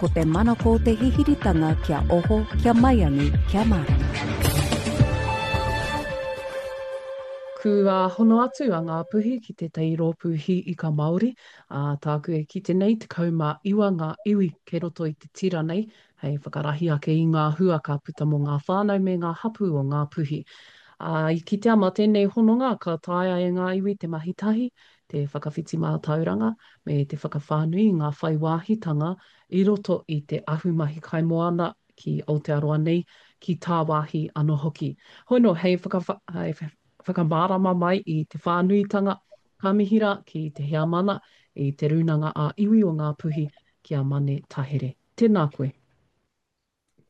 Ko te manako o te hihiritanga kia oho, kia maiangi, kia mārama. Kua hono atu a Ngāpuhi ki tētahi rōpū hī ika Māori, ā, tāku e kite nei, 19 ngā iwi kei roto i te tira nei, hei whakarahi ake i ngā hua ka puta mō ngā whānau me ngā hapū o Ngāpuhi. Ā, i kitea mā tēnei hononga ka taea e ngā iwi te mahi tahi, te whakawhiti mātauranga, me te whakawhānui i ngā whai wāhitanga i roto i te ahumahi kaimoana ki Aotearoa nei, ki tāwāhi anō hoki. Hoi nō, hei whakamārama mai i te whānuitanga, ka mihi rā ki te heamana i Te Rūnanga ā-Iwi o Ngāpuhi, ki a Mane Tahere. Tēnā koe.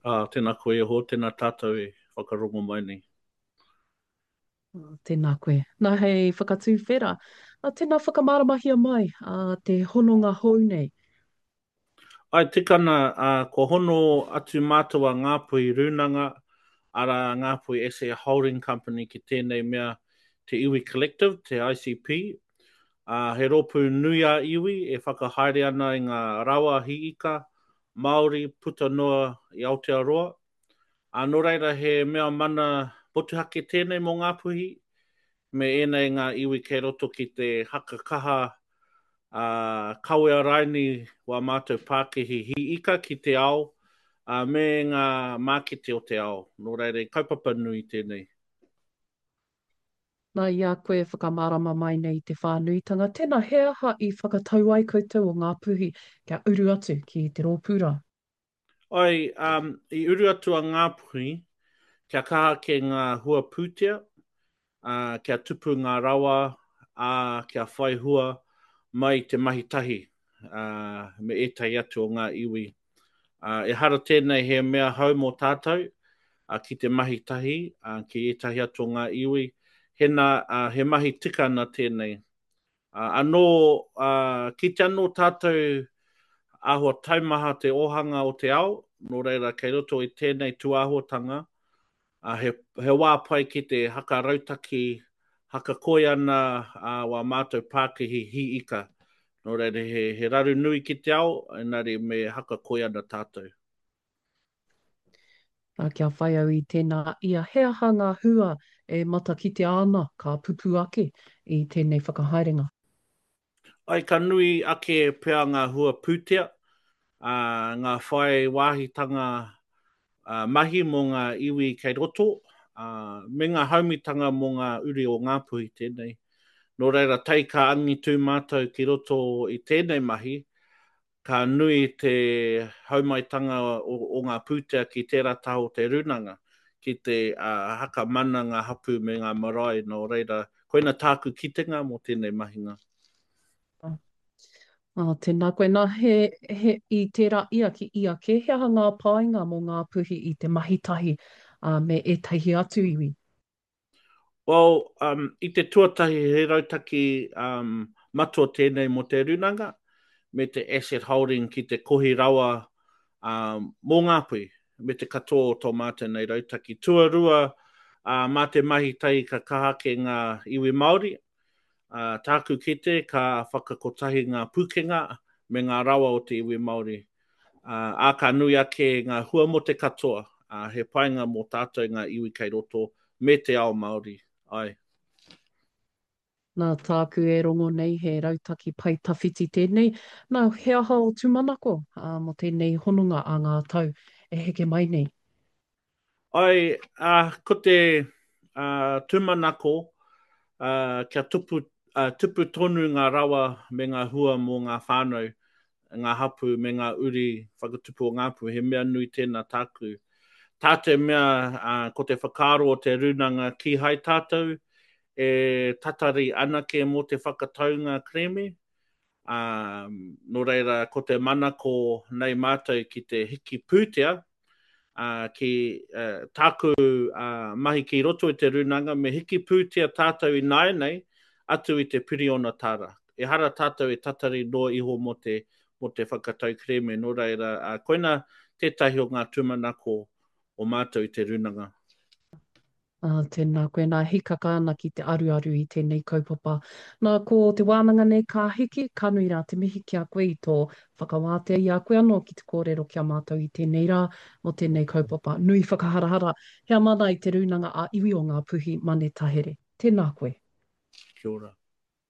Ā, tēnā koe e hoa, tēnā tātou e whakarongo mai nei. Tēnā koe. Nā, hei whakatūwhera, tēnā whakamāramahia mai te hononga hou nei. Āe, tika ana, kua hono atu mātou a Ngāpuhi Rūnanga, arā Ngāpuhi SA Holding Company ki tēnei mea te Iwi Collective, te ICP, ā, he rōpū nui ā-iwi e whakahaere ana i ngā rawa hī ika Māori puta noa i Aotearoa. Ā, nō reira he mea mana motuhake tēnei mō Ngāpuhi me ēnei ngā iwi kei roto ki te haka kaha, ā, kawea raini wā mātou pākihi hī ika ki te ao, ā, me ngā mākete o te ao. Nō reira, he kaupapa nui tēnei. Nā, i a koe e whakamārama mai nei i te whānuitanga, tēnā, he aha i whakatau ai koutou o Ngāpuhi kia uru atu ki te rōpū rā? Ai, um, i uru atu a Ngāpuhi kia kaha ake ngā hua pūtea, ā, kia tupu ngā rawa, ā, kia whai hua mai i te mahi tahi, ā, me ētahi atu o ngā iwi. Ā, ehara tēnei he mea hou mō tātou, ā, ki te mahi tahi, ā, ki ētahi atu o ngā iwi, hena, ā, he mahi tika ana tēnei. Ā, anō, ā, kite anō tātou āhua taumaha te ōhanga o te ao, nō reira kei roto i tēnei tūāhuatanga, ā, he, he wā pai ki te haka rautaki, haka koi ana ā, wā mātou pākihi hī ika. Nō reira he, he raru nui ki te ao, engari me haka koi ana tātou. Ā, kia whai au i tēnā ia, he aha ngā hua e matakitea ana ka pupū ake i tēnei whakahaerenga? Āe, ka nui ake pea ngā hua pūtea, ā, ngā whai wāhitanga mahi mō ngā iwi kei roto, ā, me ngā haumitanga mō ngā uri o Ngāpuhi tēnei. Nō reira, tae ka angitū mātou ki roto i tēnei mahi, Ka nui te haumaitanga o ngā pūtea ki tērā taha o te rūnanga, ki te haka mana ngā hapū me ngā marae, nō reira, koina tāku kitenga mō tēnei mahinga. Ā, tēnā koe. Nā, he, he, i tērā ia ki ia kē, he aha ngā painga mō Ngāpuhi i te mahi tahi, ā, me ētahi atu iwi? Well, um, i te tuatahi he rautaki um, matua tēnei mō te rūnanga me te asset holding ki te kohi rawa um, mō Ngāpuhi me te katoa o tō mātou nei rautaki. Tuarua, uh, mā te mahi tahi ka kaha ake ngā iwi Māori, uh, tāku kite ka whakakotahi ngā pūkenga me ngā rawa o te iwi Māori. Ā, ka nui ake ngā hua mō te katoa, ā, he painga mō tātou ngā iwi kei roto me te ao Māori, āe. Nā tāku e rongo nei he rautaki pae tawhiti tēnei, nā, he aha ō tūmanako, ā, mō tēnei hononga ā ngā tau e heke mai nei? Āe, ā, ko te, ā, tūmanako, ā, kia tupu, ā, tupu tonu ngā rawa me ngā hua mō ngā whānau, ngā hapū me ngā uri whakatupu o Ngāpuhi, he mea nui tēnā tāku. Tā te mea, ā, ko te whakaaro o te rūnanga kīhai tātou e tatari anake mō te whakataunga kerēme, ā, nō reira ko te manako nei mātou ki te hiki pūtea, ā, ki tāku mahi ki roto i te rūnanga, me hiki pūtea tātou ināianei atu i te piriona tāra. Ehara tātou e tatari noa iho mō te, mō te whakatau kerēme, nō reira, ā, koina tētahi o ngā tūmanako o mātou i te rūnanga. Ā, tēnā koe nā, hikaka ana ki te aruaru i tēnei kaupapa. Nā, ko te wānanga nei ka hiki, ka nui rā te mihi ki a koe i tō whakawātea i a koe anō ki te kōrero ki a mātou i tēnei rā mō tēnei kaupapa nui whakaharahara, heamana i te Rūnanga ā-Iwi o Ngāpuhi, Mane Tahere. Tēnā koe. Kia ora.